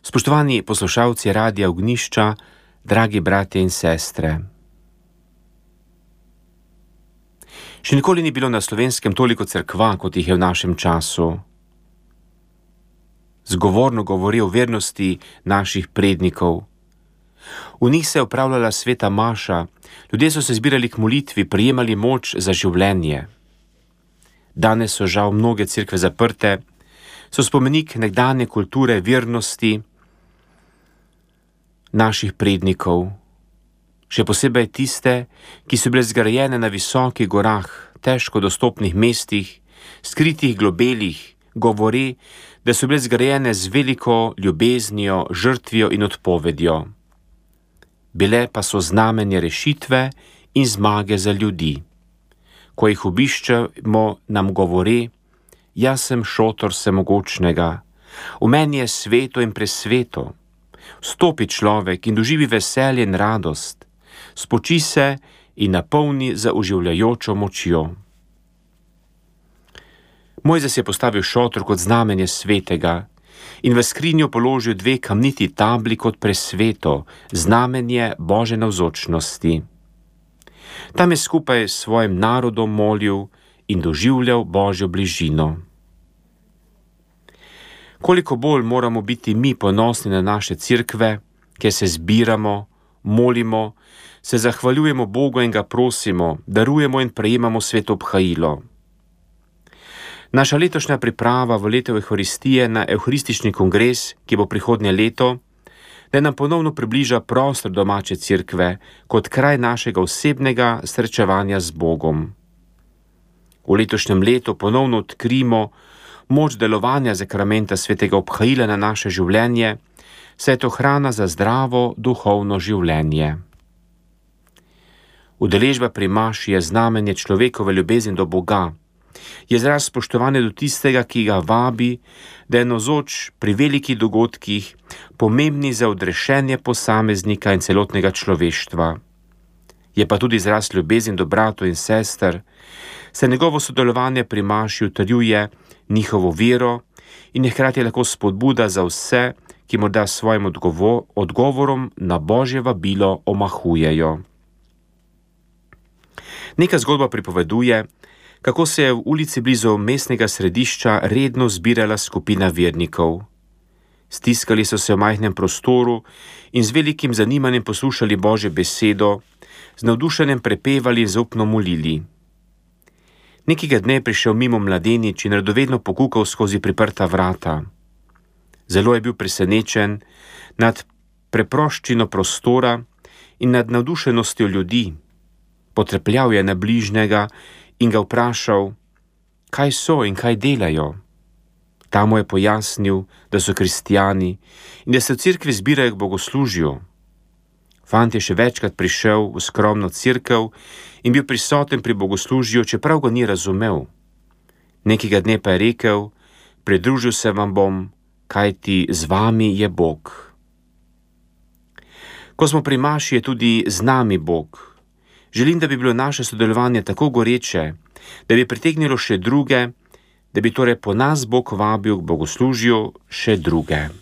Spoštovani poslušalci Radia Ognjišča, dragi bratje in sestre. Še nikoli ni bilo na Slovenskem toliko cerkva, kot jih je v našem času. Zgovorno govori o vernosti naših prednikov. V njih se je opravljala sveta maša, ljudje so se zbirali k molitvi, prejemali moč za življenje. Danes so žal mnoge cerkve zaprte, so spomenik nekdanje kulture vernosti naših prednikov, še posebej tiste, ki so bile zgrajene na visokih gorah, težko dostopnih mestih, skritih globelih, govori, da so bile zgrajene z veliko ljubeznijo, žrtvijo in odpovedjo. Bile pa so znamenje rešitve in zmage za ljudi. Ko jih obiščemo, nam govori: jaz sem šotor vsemogočnega, v meni je sveto in presveto. Vstopi človek in doživi veselje in radost, spoči se in napolni za oživljajočo močjo. Mojzes je postavil šotor kot znamenje svetega in v skrinjo položil 2 kamniti tabli kot presveto, znamenje Božje navzočnosti. Tam je skupaj s svojim narodom molil in doživljal Božjo bližino. Koliko bolj moramo biti mi ponosni na naše cerkve, kjer se zbiramo, molimo, se zahvaljujemo Bogu in ga prosimo, darujemo in prejemamo sveto obhajilo. Naša letošnja priprava v leto Evharistije na Evharistični kongres, ki bo prihodnje leto, da nam ponovno približa prostor domače cerkve kot kraj našega osebnega srečevanja z Bogom. V letošnjem letu ponovno odkrimo moč delovanja sakramenta svetega obhajila na naše življenje, saj je to hrana za zdravo duhovno življenje. Udeležba pri maši je znamenje človekove ljubezni do Boga, je izraz spoštovanja do tistega, ki ga vabi, da je navzoč pri velikih dogodkih, pomembni za odrešenje posameznika in celotnega človeštva. Je pa tudi izraz ljubezni do bratov in sester, saj njegovo sodelovanje pri maši utrjuje njihovo vero in je hkrati lahko spodbuda za vse, ki morda s svojim odgovorom na Božje vabilo omahujejo. Neka zgodba pripoveduje, kako se je v ulici blizu mestnega središča redno zbirala skupina vernikov. Stiskali so se v majhnem prostoru in z velikim zanimanjem poslušali Božjo besedo, z navdušenjem prepevali in zaupno molili. Nekega dne je prišel mimo mladenič in radovedno pokukal skozi priprta vrata. Zelo je bil presenečen nad preproščino prostora in nad navdušenostjo ljudi. Potrepljal je na bližnjega in ga vprašal, kaj so in kaj delajo. Ta mu je pojasnil, da so kristjani in da se v cerkvi zbirajo k bogoslužju. Fant je še večkrat prišel v skromno cerkev in bil prisoten pri bogoslužju, čeprav ga ni razumel. Nekega dne pa je rekel, pridružil se vam bom, kajti z vami je Bog. Ko smo pri maši, je tudi z nami Bog. Želim, da bi bilo naše sodelovanje tako goreče, da bi pritegnilo še druge, da bi torej po nas Bog vabil k bogoslužju še druge.